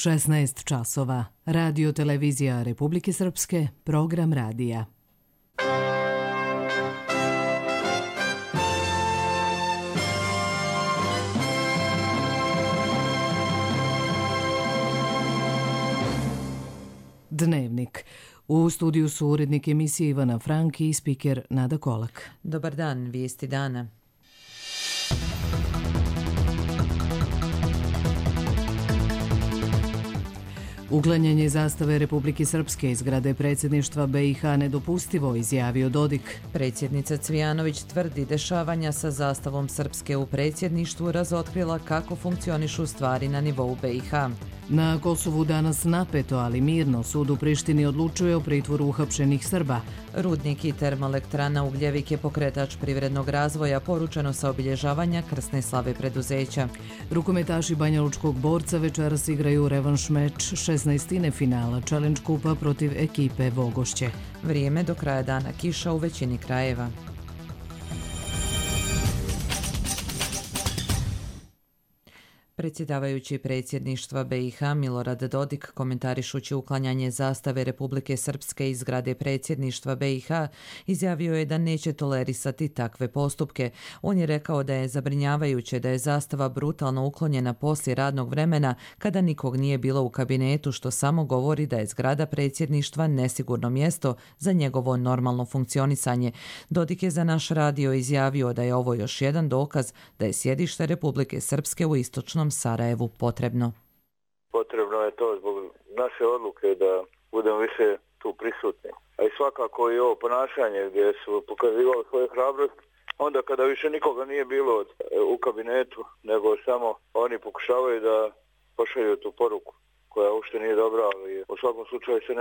16 časova. Radio televizija Republike Srpske, program radija. Dnevnik. U studiju su urednik emisije Ivana Frank i spiker Nada Kolak. Dobar dan, vijesti dana. Uklanjanje zastave Republike Srpske iz zgrade predsjedništva BiH nedopustivo, izjavio Dodik. Predsjednica Cvijanović tvrdi dešavanja sa zastavom Srpske u predsjedništvu razotkrila kako funkcionišu stvari na nivou BiH. Na Kosovu danas napeto, ali mirno, sud u Prištini odlučuje o pritvoru uhapšenih Srba. Rudnik i termoelektrana Ugljevik je pokretač privrednog razvoja, poručeno sa obilježavanja krsne slave preduzeća. Rukometaši Banjalučkog Borca večeras igraju revanš meč 16. finala Challenge kupa protiv ekipe Vogošće. Vrijeme do kraja dana, kiša u većini krajeva. Predsjedavajući predsjedništva BiH Milorad Dodik, komentarišući uklanjanje zastave Republike Srpske iz zgrade predsjedništva BiH, izjavio je da neće tolerisati takve postupke. On je rekao da je zabrinjavajuće da je zastava brutalno uklonjena poslije radnog vremena kada nikog nije bilo u kabinetu, što samo govori da je zgrada predsjedništva nesigurno mjesto za njegovo normalno funkcionisanje. Dodik je za naš radio izjavio da je ovo još jedan dokaz da je sjedište Republike Srpske u istočnom Sarajevu potrebno. Potrebno je to zbog naše odluke da budemo više tu prisutni. A i svakako i ovo ponašanje gdje su pokazivali svoju hrabrost, onda kada više nikoga nije bilo u kabinetu, nego samo oni pokušavaju da pošalju tu poruku koja uopšte nije dobra, ali u svakom slučaju se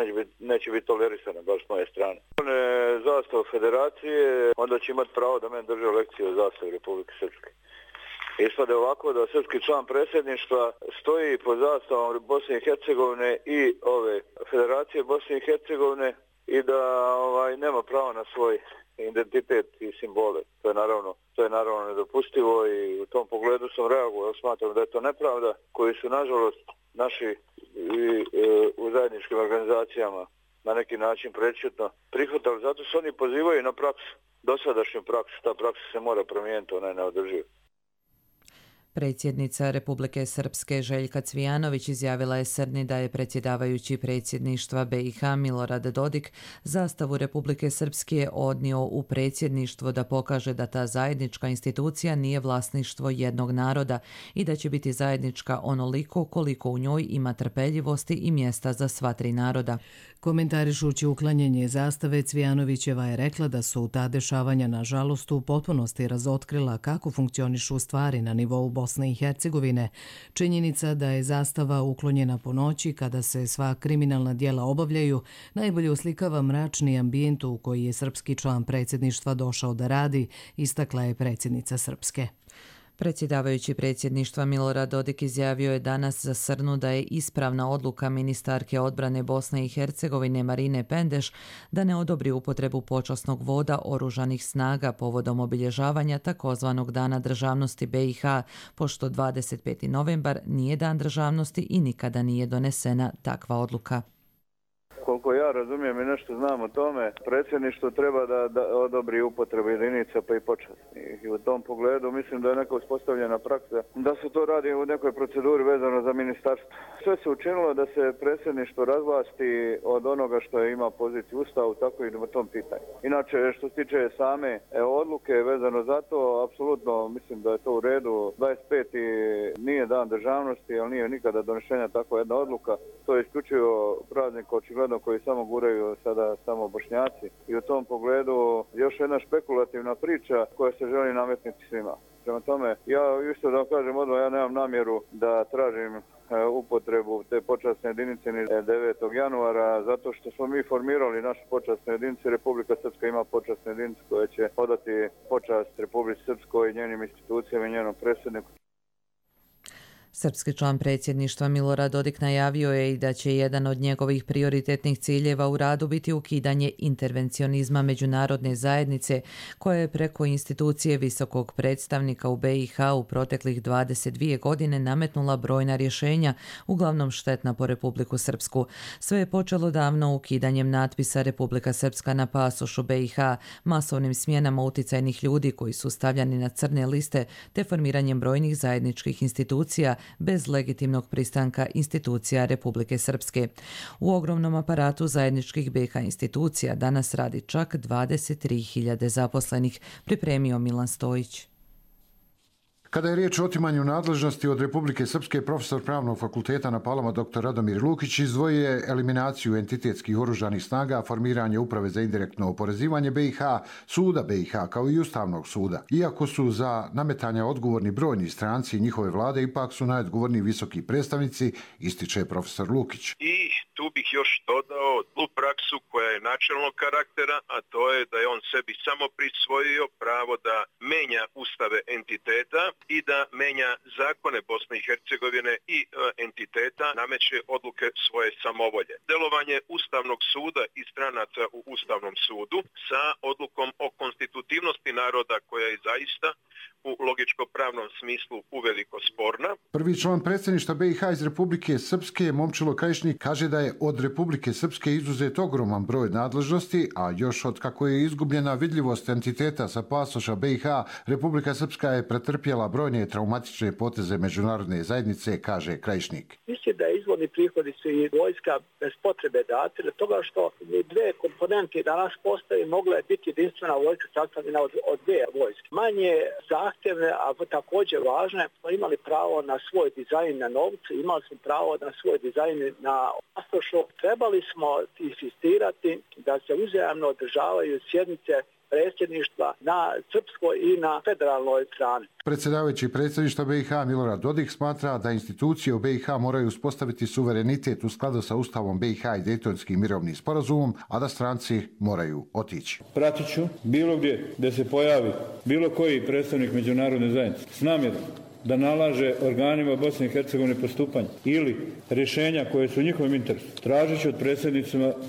neće biti tolerisana, baš s moje strane. On je zastav federacije, onda će imati pravo da meni drže lekcije o zastavi Republike Srpske. Ispade ovako da srpski član predsjedništva stoji pod zastavom Bosne i Hercegovine i ove federacije Bosne i Hercegovine i da nema pravo na svoj identitet i simbole. To je naravno nedopustivo i u tom pogledu sam reagovao. Smatram da je to nepravda koju su nažalost naši u zajedničkim organizacijama na neki način prečutno prihvatali. Zato se oni pozivaju na praksu, dosadašnju praksu. Ta praksa se mora promijeniti, ona je neodrživa. Predsjednica Republike Srpske Željka Cvijanović izjavila je Srni da je predsjedavajući predsjedništva BiH Milorad Dodik zastavu Republike Srpske odnio u predsjedništvo da pokaže da ta zajednička institucija nije vlasništvo jednog naroda i da će biti zajednička onoliko koliko u njoj ima trpeljivosti i mjesta za sva tri naroda. Komentarišući uklanjanje zastave, Cvijanovićeva je rekla da su ta dešavanja nažalost u potpunosti razotkrila kako funkcionišu stvari na nivou Bosne i Hercegovine. Činjenica da je zastava uklonjena po noći kada se sva kriminalna djela obavljaju najbolje oslikava mračni ambijent u koji je srpski član predsjedništva došao da radi, istakla je predsjednica Srpske. Predsjedavajući predsjedništva Milorad Dodik izjavio je danas za Srnu da je ispravna odluka ministarke odbrane Bosne i Hercegovine Marine Pendeš da ne odobri upotrebu počasnog voda oružanih snaga povodom obilježavanja takozvanog Dana državnosti BiH, pošto 25. novembar nije dan državnosti i nikada nije donesena takva odluka. Koliko ja razumijem i nešto znam o tome, predsjedništvo treba da odobri upotrebu jedinica pa i počasnih. I u tom pogledu mislim da je neka uspostavljena praksa da se to radi u nekoj proceduri vezano za ministarstvo. Sve se učinilo da se predsjedništvo razvlasti od onoga što ima poziciju u Ustavu, tako i u tom pitanju. Inače, što se tiče same odluke vezano za to, apsolutno mislim da je to u redu. 25. nije dan državnosti, ali nije nikada donešenja takva jedna odluka. To je isključivo praznik očigledno koji samo guraju sada samo Bošnjaci. I u tom pogledu još jedna špekulativna priča koja se želi nametniti svima. Prema tome, ja isto da vam kažem odmah, ja nemam namjeru da tražim upotrebu te počasne jedinice 9. januara, zato što smo mi formirali našu počasnu jedinicu. Republika Srpska ima počasnu jedinicu koja će odati počast Republici Srpskoj i njenim institucijama i njenom predsjedniku. Srpski član predsjedništva Milorad Dodik najavio je i da će jedan od njegovih prioritetnih ciljeva u radu biti ukidanje intervencionizma međunarodne zajednice koja je preko institucije visokog predstavnika u BiH u proteklih 22 godine nametnula brojna rješenja, uglavnom štetna po Republiku Srpsku. Sve je počelo davno ukidanjem natpisa Republika Srpska na pasošu BiH, masovnim smjenama uticajnih ljudi koji su stavljani na crne liste te formiranjem brojnih zajedničkih institucija bez legitimnog pristanka institucija Republike Srpske. U ogromnom aparatu zajedničkih BiH institucija danas radi čak 23.000 zaposlenih, pripremio Milan Stojić. Kada je riječ o otimanju nadležnosti od Republike Srpske, profesor Pravnog fakulteta na Palama dr. Radomir Lukić izdvojio je eliminaciju entitetskih oružanih snaga, formiranje uprave za indirektno oporezivanje BiH, suda BiH kao i Ustavnog suda. Iako su za nametanja odgovorni brojni stranci i njihove vlade, ipak su najodgovorniji visoki predstavnici, ističe profesor Lukić. I tu bih još dodao tu praksu koja je načelnog karaktera, a to je da je on sebi samo prisvojio pravo da menja ustave entiteta i da menja zakone Bosne i Hercegovine i entiteta, nameće odluke svoje samovolje. Delovanje Ustavnog suda i stranaca u Ustavnom sudu sa odlukom o konstitutivnosti naroda koja je zaista u logičko-pravnom smislu uveliko sporna. Prvi član predsjedništva BiH iz Republike Srpske, Momčilo Krajišnik, kaže da je od Republike Srpske izuzet ogroman broj nadležnosti, a još od kako je izgubljena vidljivost entiteta sa pasoša BiH, Republika Srpska je pretrpjela brojne traumatične poteze međunarodne zajednice, kaže Krajišnik. Mislim da izvorni prihodi su i vojska bez potrebe dati, od toga što dve komponente danas postoje, mogla je biti jedinstvena vojska sastavljena od dvije vojske. Manje zahtjevne, a također važne, smo imali pravo na svoj dizajn na novcu, imali smo pravo na svoj dizajn na pasošu. Trebali smo insistirati da se uzajamno održavaju sjednice predsjedništva na srpskoj i na federalnoj strani. Predsjedavajući predsjedništva BiH Milorad Dodik smatra da institucije u BiH moraju uspostaviti suverenitet u skladu sa Ustavom BiH i Dejtonskim mirovnim sporazumom, a da stranci moraju otići. Pratit ću bilo gdje se pojavi bilo koji predstavnik međunarodne zajednice s namjerom da nalaže organima Bosne i Hercegovine postupanje ili rješenja koje su u njihovom interesu. Tražit ću od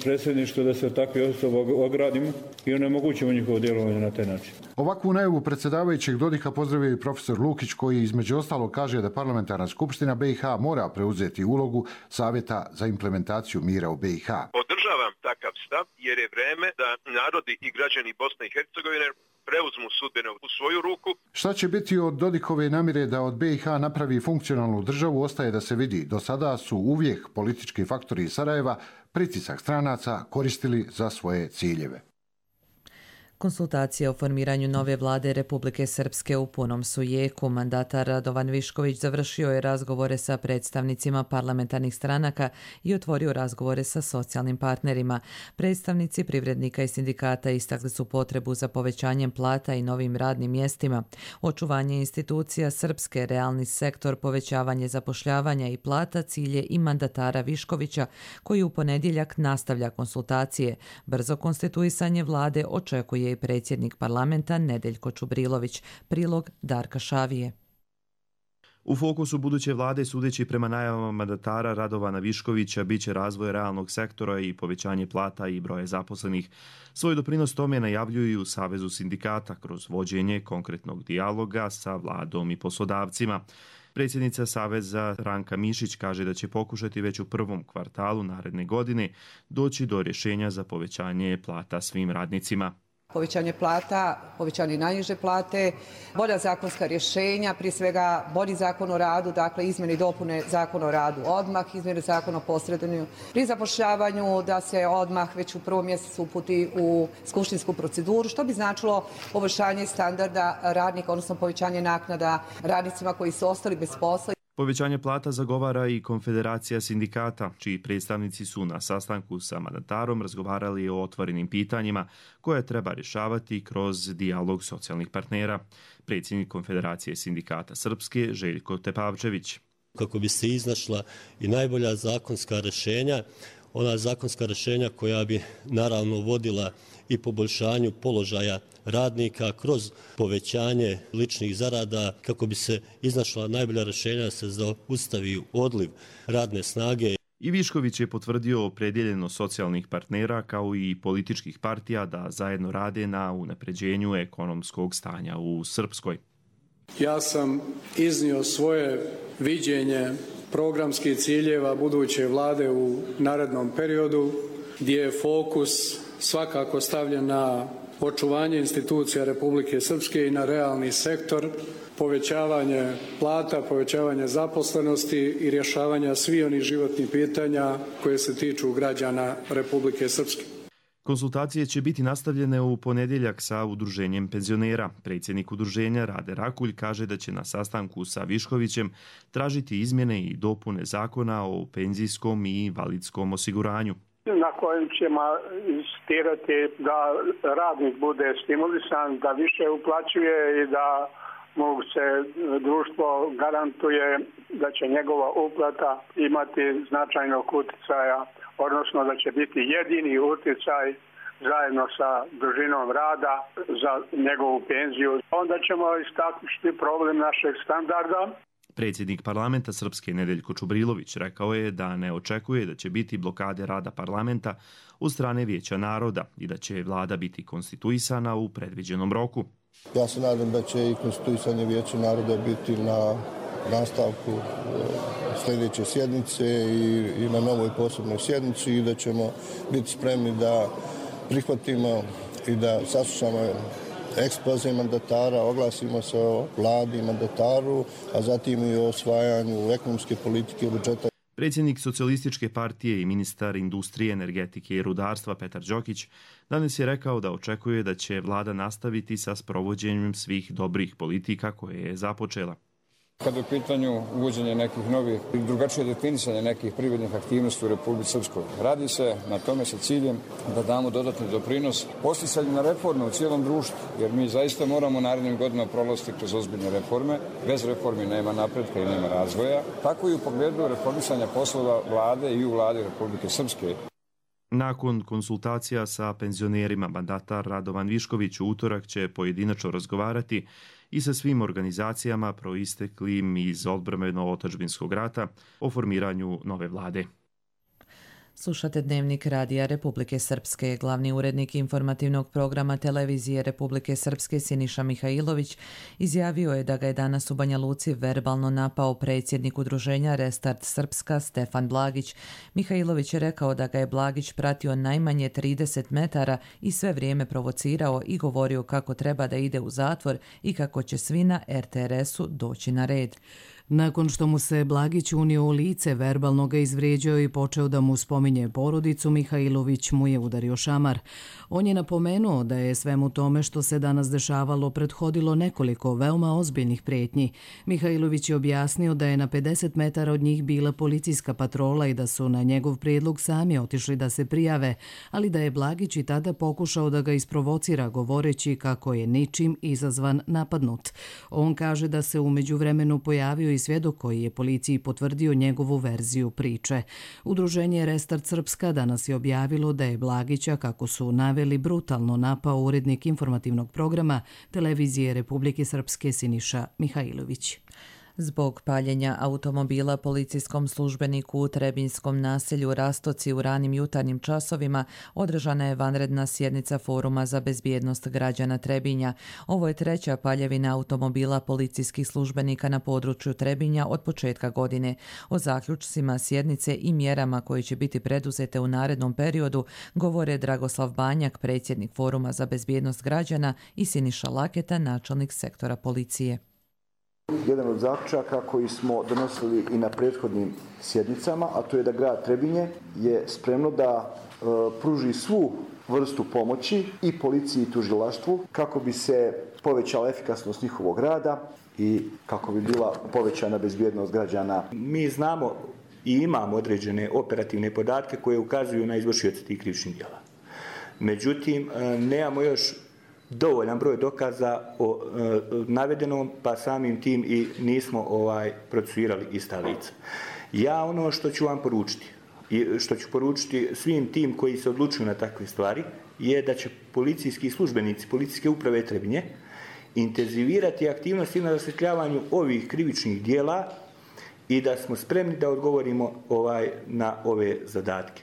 predsjedništva da se od takve osobe ogradimo i onemogućimo njihovo djelovanje na taj način. Ovakvu najavu predsjedavajućeg Dodika pozdravio i profesor Lukić, koji između ostalog kaže da parlamentarna skupština BiH mora preuzeti ulogu Savjeta za implementaciju mira u BiH. Podržavam takav stav jer je vreme da narodi i građani Bosne i Hercegovine preuzmu sudbine u svoju ruku. Šta će biti od Dodikove namjere da od BiH napravi funkcionalnu državu ostaje da se vidi. Do sada su uvijek politički faktori iz Sarajeva pritisak stranaca koristili za svoje ciljeve. Konsultacije o formiranju nove vlade Republike Srpske u punom su jeku. Mandatar Radovan Višković završio je razgovore sa predstavnicima parlamentarnih stranaka i otvorio razgovore sa socijalnim partnerima. Predstavnici privrednika i sindikata istakli su potrebu za povećanjem plata i novim radnim mjestima, očuvanje institucija Srpske, realni sektor, povećavanje zapošljavanja i plata cilje i mandatara Viškovića, koji u ponedjeljak nastavlja konsultacije. Brzo konstituisanje vlade očekuje i predsjednik parlamenta Nedeljko Čubrilović. Prilog Darka Šavije. U fokusu buduće vlade, sudeći prema najavama mandatara Radovana Viškovića, biće razvoj realnog sektora i povećanje plata i broja zaposlenih. Svoj doprinos tome najavljuju u Savezu sindikata kroz vođenje konkretnog dijaloga sa vladom i poslodavcima. Predsjednica Saveza Ranka Mišić kaže da će pokušati već u prvom kvartalu naredne godine doći do rješenja za povećanje plata svim radnicima. Povećanje plata, povećanje najniže plate, bolja zakonska rješenja, prije svega bolji zakon o radu, dakle izmjene i dopune zakona o radu odmah, izmjene zakona o posredovanju pri zapošljavanju, da se odmah već u prvom mjesecu uputi u skupštinsku proceduru, što bi značilo poboljšanje standarda radnika, odnosno povećanje naknada radnicima koji su ostali bez posla. Povećanje plata zagovara i Konfederacija sindikata, čiji predstavnici su na sastanku sa mandatarom razgovarali o otvorenim pitanjima koje treba rješavati kroz dijalog socijalnih partnera. Predsjednik Konfederacije sindikata Srpske Željko Tepavčević. Kako bi se iznašla i najbolja zakonska rješenja ona zakonska rješenja koja bi naravno vodila i poboljšanju položaja radnika kroz povećanje ličnih zarada kako bi se iznašla najbolja rješenja da se zaustavi odliv radne snage. I Višković je potvrdio opredjeljenost socijalnih partnera kao i političkih partija da zajedno rade na unapređenju ekonomskog stanja u Srpskoj. Ja sam iznio svoje viđenje programskih ciljeva buduće vlade u narednom periodu, gdje je fokus svakako stavljen na očuvanje institucija Republike Srpske i na realni sektor, povećavanje plata, povećavanje zaposlenosti i rješavanja svih onih životnih pitanja koje se tiču građana Republike Srpske. Konsultacije će biti nastavljene u ponedjeljak sa udruženjem penzionera. Predsjednik udruženja Rade Rakulj kaže da će na sastanku sa Viškovićem tražiti izmjene i dopune zakona o penzijskom i invalidskom osiguranju. Na kojem ćemo insistirati da radnik bude stimulisan, da više uplaćuje i da mu se društvo garantuje da će njegova uplata imati značajnog utjecaja, odnosno da će biti jedini utjecaj zajedno sa dužinom rada za njegovu penziju. Onda ćemo istaknuti problem našeg standarda. Predsjednik parlamenta Srpske Nedeljko Čubrilović rekao je da ne očekuje da će biti blokade rada parlamenta od strane Vijeća naroda i da će vlada biti konstituisana u predviđenom roku. Ja se nadam da će i konstituisanje Vijeća naroda biti na nastavku sljedeće sjednice i na novoj posebnoj sjednici i da ćemo biti spremni da prihvatimo i da saslušamo ekspoze mandatara, oglasimo se o vladi i mandataru, a zatim i o osvajanju ekonomske politike i budžeta. Predsjednik Socijalističke partije i ministar industrije, energetike i rudarstva Petar Đokić danas je rekao da očekuje da će vlada nastaviti sa sprovođenjem svih dobrih politika koje je započela. Kada je u pitanju uvođenje nekih novih i drugačije definisanje nekih privrednih aktivnosti u Republici Srpskoj, radi se na tome sa ciljem da damo dodatni doprinos posticanju na reforme u cijelom društvu, jer mi zaista moramo narednim godinama prolaziti kroz ozbiljne reforme. Bez reformi nema napretka i nema razvoja. Tako i u pogledu reformisanja poslova vlade i u vladi Republike Srpske. Nakon konsultacija sa penzionerima, mandatar Radovan Višković u utorak će pojedinačno razgovarati i sa svim organizacijama proisteklim iz odbrambeno-otadžbinskog rata o formiranju nove vlade. Slušate Dnevnik Radija Republike Srpske. Glavni urednik informativnog programa televizije Republike Srpske Siniša Mihajlović izjavio je da ga je danas u Banja Luci verbalno napao predsjednik udruženja Restart Srpska Stefan Blagić. Mihajlović je rekao da ga je Blagić pratio najmanje 30 metara i sve vrijeme provocirao i govorio kako treba da ide u zatvor i kako će svi na RTRS-u doći na red. Nakon što mu se Blagić unio u lice, verbalno ga izvrijeđao i počeo da mu spominje porodicu, Mihajlović mu je udario šamar. On je napomenuo da je svemu tome što se danas dešavalo prethodilo nekoliko veoma ozbiljnih prijetnji. Mihajlović je objasnio da je na 50 metara od njih bila policijska patrola i da su na njegov prijedlog sami otišli da se prijave, ali da je Blagić i tada pokušao da ga isprovocira govoreći kako je ničim izazvan napadnut. On kaže da se u međuvremenu pojavio i svjedok koji je policiji potvrdio njegovu verziju priče. Udruženje Restart Srpska danas je objavilo da je Blagića, kako su naveli, brutalno napao urednik informativnog programa televizije Republike Srpske Siniša Mihajlović. Zbog paljenja automobila policijskom službeniku u Trebinjskom naselju Rastoci u ranim jutarnjim časovima održana je vanredna sjednica Foruma za bezbjednost građana Trebinja. Ovo je treća paljevina automobila policijskih službenika na području Trebinja od početka godine. O zaključcima sjednice i mjerama koje će biti preduzete u narednom periodu govore Dragoslav Banjak, predsjednik Foruma za bezbjednost građana, i Siniša Laketa, načelnik sektora policije. Jedan od zaključaka koji smo donosili i na prethodnim sjednicama, a to je da grad Trebinje je spremno da pruži svu vrstu pomoći i policiji i tužilaštvu kako bi se povećala efikasnost njihovog rada i kako bi bila povećana bezbjednost građana. Mi znamo i imamo određene operativne podatke koje ukazuju na izvršioce tih krivičnih djela. Međutim, nemamo još dovoljan broj dokaza o navedenom, pa samim tim i nismo procesuirali ista lica. Ja ono što ću vam poručiti, i što ću poručiti svim tim koji se odlučuju na takve stvari, je da će policijski službenici, policijske uprave Trebinje, intenzivirati aktivnosti na rasvjetljavanju ovih krivičnih dijela i da smo spremni da odgovorimo na ove zadatke.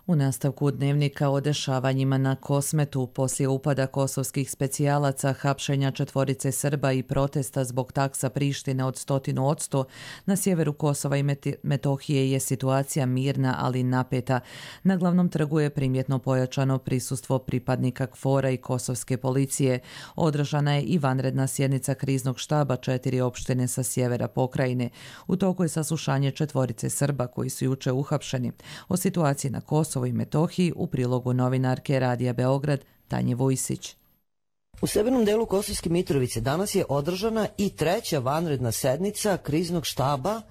U nastavku dnevnika o dešavanjima na Kosmetu poslije upada kosovskih specijalaca, hapšenja 4 Srba i protesta zbog taksa Prištine od 100%, na sjeveru Kosova i Metohije je situacija mirna, ali napeta. Na glavnom trgu je primjetno pojačano prisustvo pripadnika KFOR-a i kosovske policije. Održana je i vanredna sjednica kriznog štaba 4 opštine sa sjevera pokrajine. U toku je saslušanje 4 Srba koji su juče uhapšeni. O situaciji na Kosovu i Metohiji u prilogu novinarke Radija Beograd Tanje Vujsić. U severnom delu Kosovske Mitrovice danas je održana i 3. vanredna sednica kriznog štaba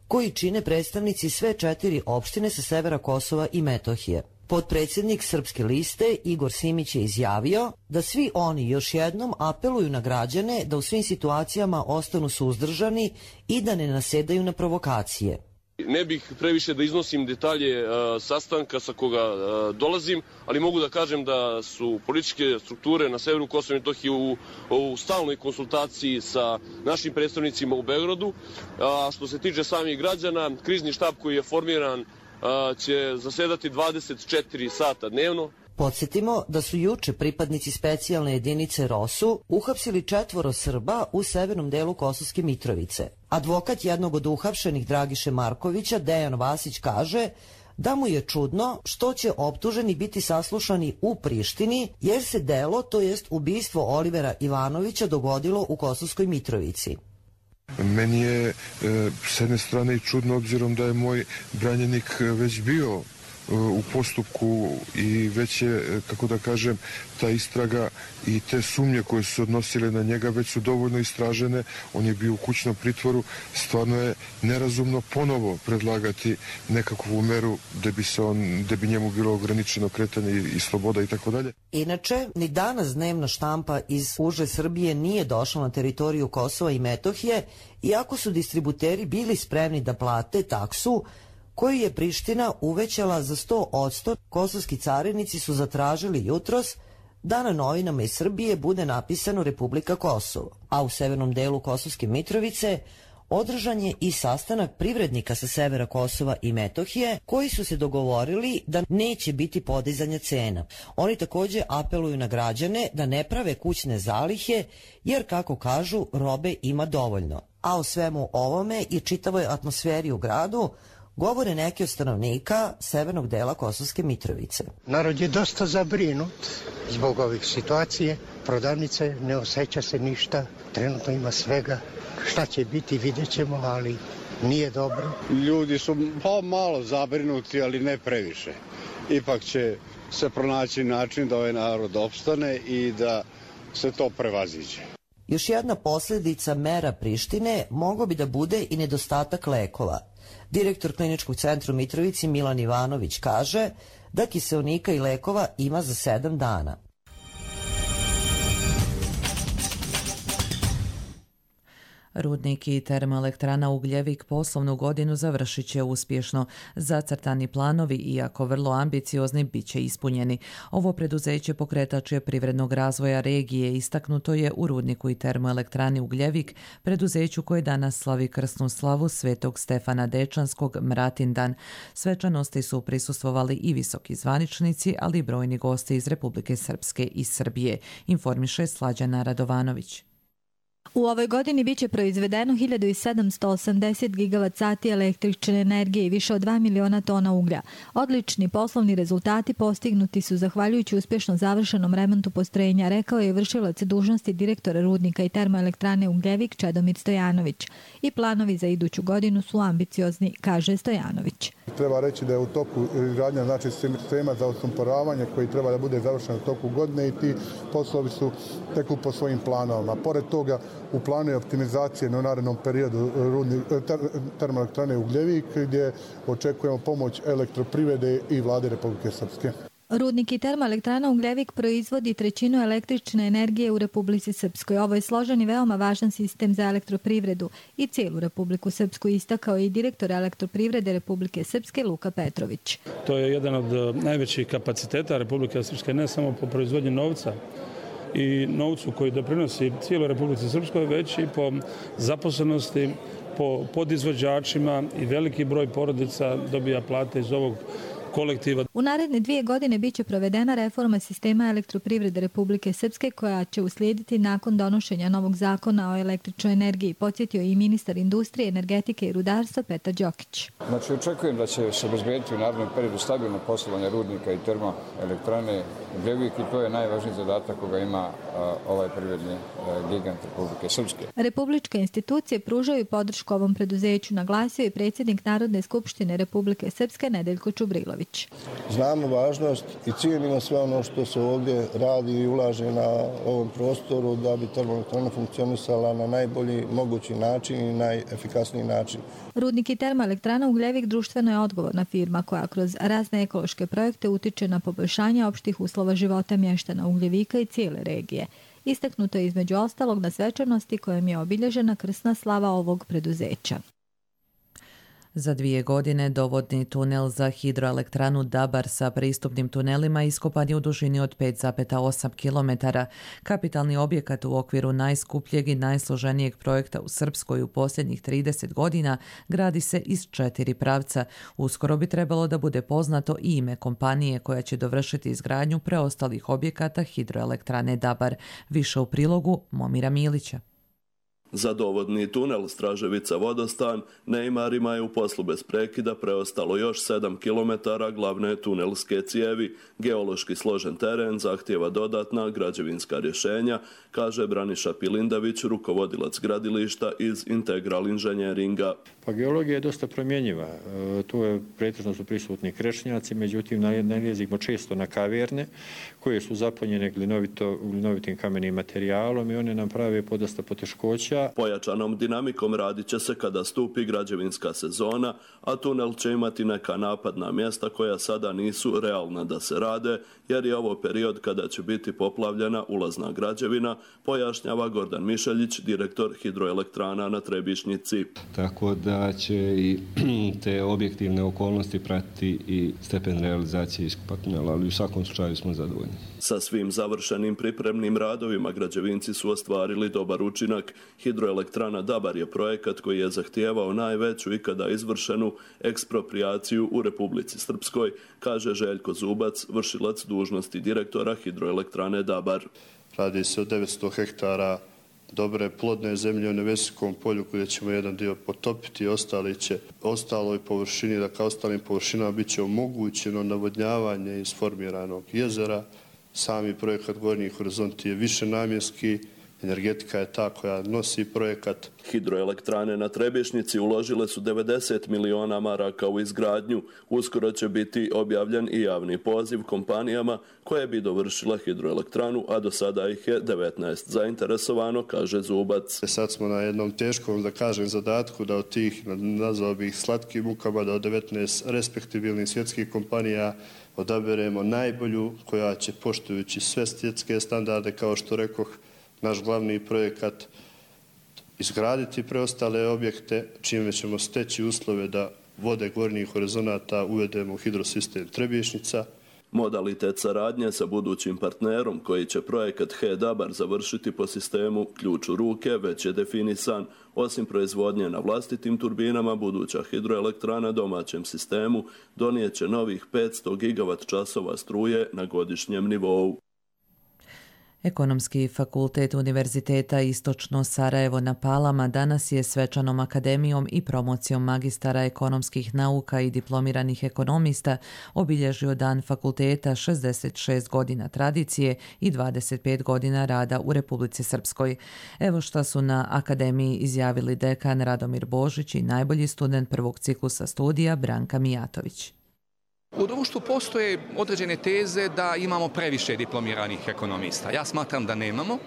koji čine predstavnici sve 4 opštine sa severa Kosova i Metohije. Potpredsjednik Srpske liste Igor Simić je izjavio da svi oni još jednom apeluju na građane da u svim situacijama ostanu suzdržani i da ne nasedaju na provokacije. Ne bih previše da iznosim detalje sastanka sa koga dolazim, ali mogu da kažem da su političke strukture na severu Kosova i Metohije u stalnoj konsultaciji sa našim predstavnicima u Beogradu. A što se tiče samih građana, krizni štab koji je formiran će zasedati 24 sata dnevno. Podsjetimo da su juče pripadnici specijalne jedinice ROSU uhapsili 4 Srba u severnom delu Kosovske Mitrovice. Advokat jednog od uhapšenih Dragiše Markovića, Dejan Vasić, kaže da mu je čudno što će optuženi biti saslušani u Prištini, jer se delo, to jest ubistvo Olivera Ivanovića, dogodilo u Kosovskoj Mitrovici. Meni je s jedne strane i čudno, obzirom da je moj branjenik već bio u postupku i već je, kako da kažem, ta istraga i te sumnje koje su se odnosile na njega već su dovoljno istražene. On je bio u kućnom pritvoru. Stvarno je nerazumno ponovo predlagati nekakvu meru da bi njemu bilo ograničeno kretanje i sloboda i tako dalje. Inače, ni danas dnevna štampa iz uže Srbije nije došla na teritoriju Kosova i Metohije, iako su distributeri bili spremni da plate taksu koju je Priština uvećala za 100%, kosovski carinici su zatražili jutros da na novinama iz Srbije bude napisano Republika Kosovo. A u severnom delu Kosovske Mitrovice održan je i sastanak privrednika sa severa Kosova i Metohije koji su se dogovorili da neće biti podizanja cena. Oni također apeluju na građane da ne prave kućne zalihe jer, kako kažu, robe ima dovoljno. A o svemu ovome i čitavoj atmosferi u gradu govore neki od stanovnika severnog dela Kosovske Mitrovice. Narod je dosta zabrinut zbog ovih situacije. Prodavnice ne osjeća se ništa. Trenutno ima svega. Šta će biti, vidjet ćemo, ali nije dobro. Ljudi su malo zabrinuti, ali ne previše. Ipak će se pronaći način da ovaj narod opstane i da se to prevaziđe. Još jedna posljedica mera Prištine mogao bi da bude i nedostatak lekova. Direktor Kliničkog centra u Mitrovici Milan Ivanović kaže da kiseonika i lekova ima za 7 dana. Rudnik i termoelektrana Ugljevik poslovnu godinu završit će uspješno. Zacrtani planovi, iako vrlo ambiciozni, bit će ispunjeni. Ovo preduzeće pokretač je privrednog razvoja regije, istaknuto je u Rudniku i termoelektrani Ugljevik, preduzeću koje danas slavi krsnu slavu Svetog Stefana Dečanskog Mratindan. Svečanosti su prisustvovali i visoki zvaničnici, ali i brojni gosti iz Republike Srpske i Srbije, informiše Slađana Radovanović. U ovoj godini biće proizvedeno 1780 gigavat-sati električne energije i više od 2 miliona tona uglja. Odlični poslovni rezultati postignuti su zahvaljujući uspješno završenom remontu postrojenja, rekao je vršilac dužnosti direktora Rudnika i termoelektrane Ugljevik Čedomir Stojanović. I planovi za iduću godinu su ambiciozni, kaže Stojanović. Treba reći da je u toku izgradnja sistema za osumporavanje koji treba da bude završen u toku godine i ti poslovi su teku po svojim planovima. Pored toga, u planu je optimizacije na narednom periodu termoelektrane Ugljevik, gdje očekujemo pomoć elektroprivrede i vlade Republike Srpske. Rudnik i termoelektrana Ugljevik proizvodi trećinu električne energije u Republici Srpskoj. Ovo je složen i veoma važan sistem za elektroprivredu i cijelu Republiku Srpsku, istakao i direktor Elektroprivrede Republike Srpske Luka Petrović. To je jedan od najvećih kapaciteta Republike Srpske, ne samo po proizvodnji novca i novcu koji doprinosi cijeloj Republici Srpskoj, već i po zaposlenosti, po podizvođačima, i veliki broj porodica dobija plate iz ovog kolektiva. U naredne 2 godine biće provedena reforma sistema elektroprivrede Republike Srpske koja će uslijediti nakon donošenja novog zakona o električnoj energiji, podsjetio i ministar industrije, energetike i rudarstva Petar Đokić. Znači, očekujem da će se obezbediti u narednom periodu stabilno poslovanje rudnika i termoelektrane Ugljevik i to je najvažniji zadatak koga ima ovaj privredni gigant Republike Srpske. Republičke institucije pružaju podršku ovom preduzeću, naglasio je predsjednik Narodne skupštine Republike Srpske Nedeljko Čubrilović. Znamo važnost i cijenimo sve ono što se ovdje radi i ulaže na ovom prostoru da bi termoelektrana funkcionisala na najbolji mogući način i najefikasniji način. Rudnik i termoelektrana Ugljevik društveno je odgovorna firma koja kroz razne ekološke projekte utiče na poboljšanje opštih uslova života mještana Ugljevika i cijele regije. Istaknuto je između ostalog na svečanosti kojom je obilježena krsna slava ovog preduzeća. Za 2 godine dovodni tunel za hidroelektranu Dabar sa pristupnim tunelima iskopan je u dužini od 5,8 km. Kapitalni objekat u okviru najskupljeg i najsloženijeg projekta u Srpskoj u posljednjih 30 godina gradi se iz 4 pravca. Uskoro bi trebalo da bude poznato i ime kompanije koja će dovršiti izgradnju preostalih objekata hidroelektrane Dabar. Više u prilogu Momira Milića. Za dovodni tunel Straževica-Vodostan Neymarima je u poslu bez prekida preostalo još 7 km glavne tunelske cijevi. Geološki složen teren zahtijeva dodatna građevinska rješenja, kaže Braniša Pilindavić, rukovodilac gradilišta iz Integral inženjeringa. Pa geologija je dosta promjenjiva. Tu je pretežno su prisutni krešnjaci, međutim nalazimo često na kaverne koje su zapunjene glinovitim kamenim materijalom i one nam prave podosta poteškoća. Pojačanom dinamikom radit će se kada stupi građevinska sezona, a tunel će imati neka napadna mjesta koja sada nisu realna da se rade, jer je ovo period kada će biti poplavljena ulazna građevina, pojašnjava Gordan Mišeljić, direktor hidroelektrana na Trebišnjici. Tako da će i te objektivne okolnosti pratiti i stepen realizacije iskopa tunela, ali u svakom slučaju smo zadovoljni. Sa svim završenim pripremnim radovima građevinci su ostvarili dobar učinak. Hidroelektrana Dabar je projekat koji je zahtijevao najveću ikada izvršenu eksproprijaciju u Republici Srpskoj, kaže Željko Zubac, vršilac dužnosti direktora hidroelektrane Dabar. Radi se o 900 hektara dobre plodne zemlje u Nevesinskom polju gdje ćemo jedan dio potopiti, ostaloj površini, dakle ostalim površinama bit će omogućeno navodnjavanje iz formiranog jezera. Sami projekat Gornji horizonti je višenamjenski, energetika je ta koja nosi projekat. Hidroelektrane na Trebišnjici uložile su 90 miliona maraka u izgradnju. Uskoro će biti objavljen i javni poziv kompanijama koje bi dovršile hidroelektranu, a do sada ih je 19 zainteresovano, kaže Zubac. Sad smo na jednom teškom, da kažem, zadatku da od tih, nazvao bih slatkim mukama, da od 19 respektibilnih svjetskih kompanija odaberemo najbolju koja će, poštujući sve svjetske standarde, kao što rekoh, naš glavni projekat, izgraditi preostale objekte, čime ćemo steći uslove da vode gornjih horizonata uvedemo u hidrosistem Trebišnjica. Modalitet saradnje sa budućim partnerom koji će projekat HE-Dabar završiti po sistemu ključ u ruke već je definisan. Osim proizvodnje na vlastitim turbinama, buduća hidroelektrana domaćem sistemu donijeće novih 500 gigavat časova struje na godišnjem nivou. Ekonomski fakultet Univerziteta Istočno Sarajevo na Palama danas je svečanom akademijom i promocijom magistara ekonomskih nauka i diplomiranih ekonomista obilježio dan fakulteta 66 godina tradicije i 25 godina rada u Republici Srpskoj. Evo šta su na akademiji izjavili dekan Radomir Božić i najbolji student prvog ciklusa studija Branka Mijatović. U društvu postoje određene teze da imamo previše diplomiranih ekonomista. Ja smatram da nemamo,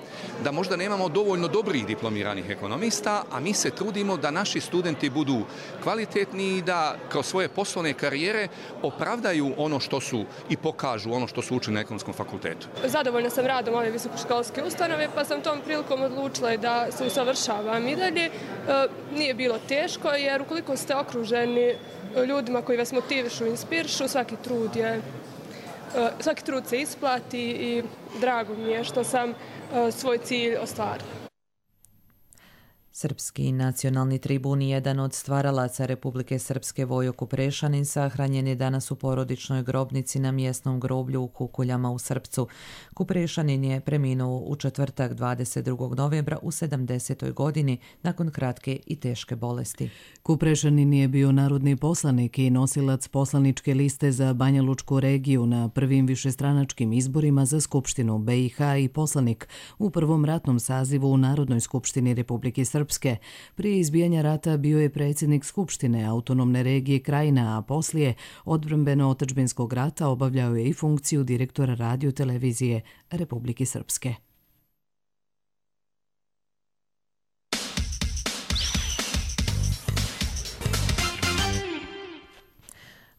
da možda nemamo dovoljno dobrih diplomiranih ekonomista, a mi se trudimo da naši studenti budu kvalitetni i da kroz svoje poslovne karijere opravdaju ono što su i pokažu ono što su učili na ekonomskom fakultetu. Zadovoljna sam radom ove visokoškolske ustanove, pa sam tom prilikom odlučila da se usavršavam i dalje. Nije bilo teško, jer ukoliko ste okruženi ljudima koji vas motivišu i inspirišu, svaki trud se isplati i drago mi je što sam svoj cilj ostvarila. Srpski nacionalni tribun, jedan od stvaralaca Republike Srpske, Vojo Kuprešanin, sahranjen je danas u porodičnoj grobnici na mjesnom groblju u Kukuljama u Srpcu. Kuprešanin je preminuo u četvrtak 22. novembra u 70. godini nakon kratke i teške bolesti. Kuprešanin je bio narodni poslanik i nosilac poslaničke liste za Banja Lučku regiju na prvim višestranačkim izborima za Skupštinu BiH i poslanik u prvom ratnom sazivu u Narodnoj skupštini Republike Srpske. Prije izbijanja rata bio je predsjednik Skupštine autonomne regije Krajina, a poslije odbrambeno-otadžbinskog rata obavljao je i funkciju direktora radio-televizije Republike Srpske.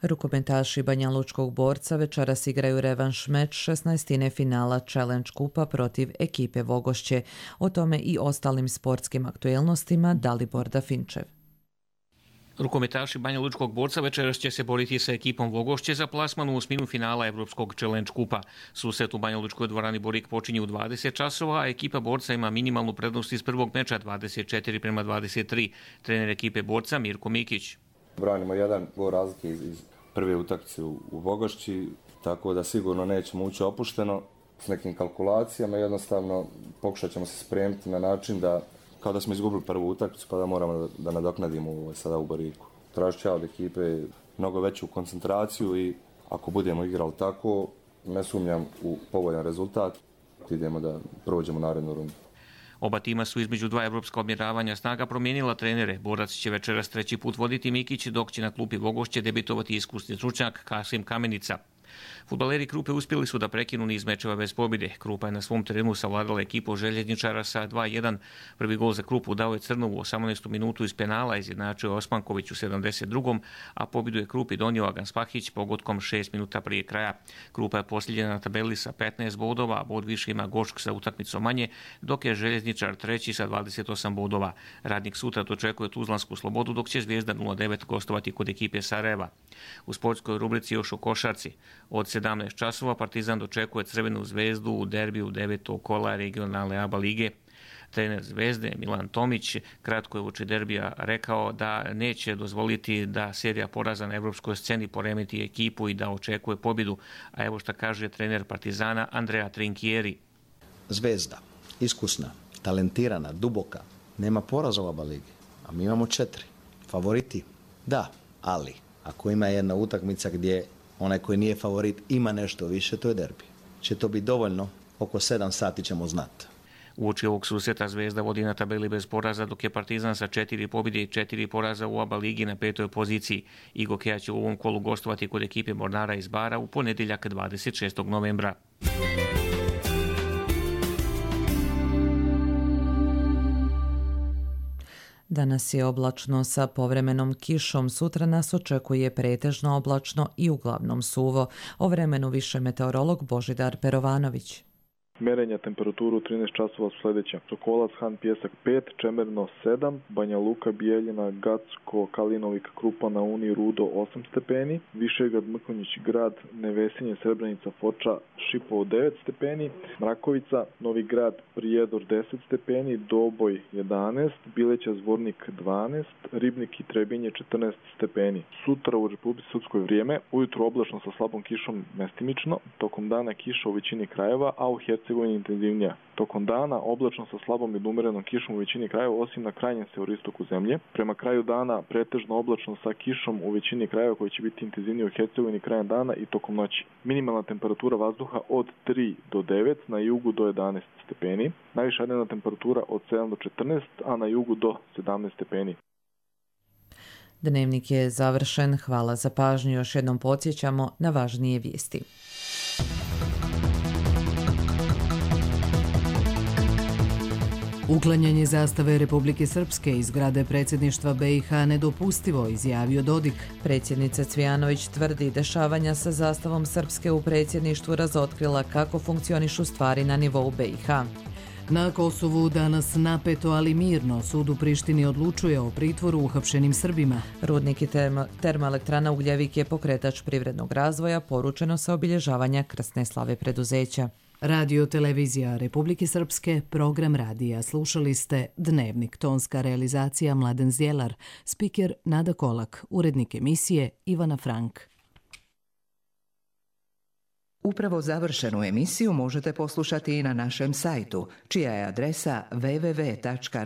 Rukometaši Banjalučkog Borca večeras igraju revanš meč 16. finala Challenge Kupa protiv ekipe Vogošće. O tome i ostalim sportskim aktuelnostima Dalibor Dafinčev. Rukometaši Banjalučkog Borca večeras će se boriti sa ekipom Vogošće za plasman u osminu finala Evropskog Challenge Kupa. Susret u Banjalučkoj dvorani Borik počinje u 20 časova, a ekipa Borca ima minimalnu prednost iz prvog meča 24-23. Trener ekipe Borca Mirko Mikić. Branimo jedan gol razlike iz prve utakmice u Vogošći, tako da sigurno nećemo ući opušteno s nekim kalkulacijama. Jednostavno pokušat ćemo se spremiti na način da kao da smo izgubili prvu utakmicu pa da moramo da nadoknadimo sada u Boriku. Tražit ću od ekipe mnogo veću koncentraciju i ako budemo igrali tako, ne sumnjam u povoljan rezultat, idemo da prođemo narednu rundu. Oba tima su između dva evropska odmjeravanja snaga promijenila trenere. Borac će večeras treći put voditi Mikić, dok će na klupi Vogošće debitovati iskusni stručnjak Kasim Kamenica. Fudbaleri Krupe uspjeli su da prekinu niz mečeva bez pobjede. Krupa je na svom terenu savladala ekipu željezničara sa 2-1. Prvi gol za Krupu dao je Crnov u 18. minutu iz penala, izjednačio Osmanković u 72. a pobjedu je Krupi donio Agan Spahić pogodkom 6 minuta prije kraja. Krupa je posljednja na tabeli sa 15 bodova, a bod više ima Gošk sa utakmicom manje, dok je željezničar treći sa 28 bodova. Radnik sutra dočekuje Tuzlansku Slobodu, dok će Zvijezda 09 gostovati kod ekipe Sarajeva. U sportskoj rubrici još o košarci. Od 17 časova Partizan dočekuje Crvenu Zvezdu u derbiju 9. kola regionalne ABA lige. Trener Zvezde Milan Tomić kratko je uoči derbija rekao da neće dozvoliti da serija poraza na evropskoj sceni poremeti ekipu i da očekuje pobjedu. A evo šta kaže trener Partizana Andrea Trinkieri. Zvezda, iskusna, talentirana, duboka, nema poraza u ABA ligi, a mi imamo 4. Favoriti? Da, ali ako ima jedna utakmica gdje onaj koji nije favorit ima nešto više, to je derbi. Će to biti dovoljno, oko 7 sati ćemo znati. Uoči ovog susreta Zvezda vodi na tabeli bez poraza, dok je Partizan sa 4 pobjede i 4 poraza u ABA ligi na 5. poziciji. Igokea će u ovom kolu gostovati kod ekipe Mornara iz Bara u ponedjeljak 26. novembra. Danas je oblačno sa povremenom kišom, sutra nas očekuje pretežno oblačno i uglavnom suvo. O vremenu više meteorolog Božidar Perovanović. Merenja temperaturu 13 časova sljedeće. Sokolac, Han, Pjesak 5, Čemerno 7, Banja Luka, Bijeljina, Gacko, Kalinovik, Krupa na Uni, Rudo 8 stepeni, Višegrad, Mrkonjić, Grad, Nevesinje, Srebrenica, Foča, Šipovo 9 stepeni, Mrakovica, Novi Grad, Prijedor 10 stepeni, Doboj 11, Bileća, Zvornik 12, Ribnik i Trebinje 14 stepeni. Sutra u Republici Srpskoj vrijeme, ujutro oblačno sa slabom kišom mestimično, tokom dana kiša u većini krajeva, a u Hercegovini intenzivnija. Tokom dana oblačno sa slabom i umerenom kišom u većini krajeva, osim na krajnjem severistoku zemlje. Prema kraju dana pretežno oblačno sa kišom u većini krajeva koji će biti intenzivniji u Hercegovini krajem dana i tokom noći. Minimalna temperatura vazduha od 3 do 9, na jugu do 11 stepeni. Najviša dnevna temperatura od 7 do 14, a na jugu do 17 stepeni. Dnevnik je završen. Hvala za pažnju. Još jednom podsjećamo na važnije vijesti. Uklanjanje zastave Republike Srpske iz zgrade predsjedništva BiH nedopustivo, izjavio Dodik. Predsjednica Cvijanović tvrdi dešavanja sa zastavom Srpske u predsjedništvu razotkrila kako funkcionišu stvari na nivou BiH. Na Kosovu danas napeto, ali mirno, sud u Prištini odlučuje o pritvoru uhapšenim Srbima. Rudnik i termoelektrana Ugljevik je pokretač privrednog razvoja, poručeno sa obilježavanja krsne slave preduzeća. Radio televizija Republike Srpske, program radija. Slušali ste Dnevnik, tonska realizacija Mladen Zjelar, spiker Nada Kolak, urednik emisije Ivana Frank. Upravo završenu emisiju možete poslušati i na našem sajtu, čija je adresa www.rtrs.tv.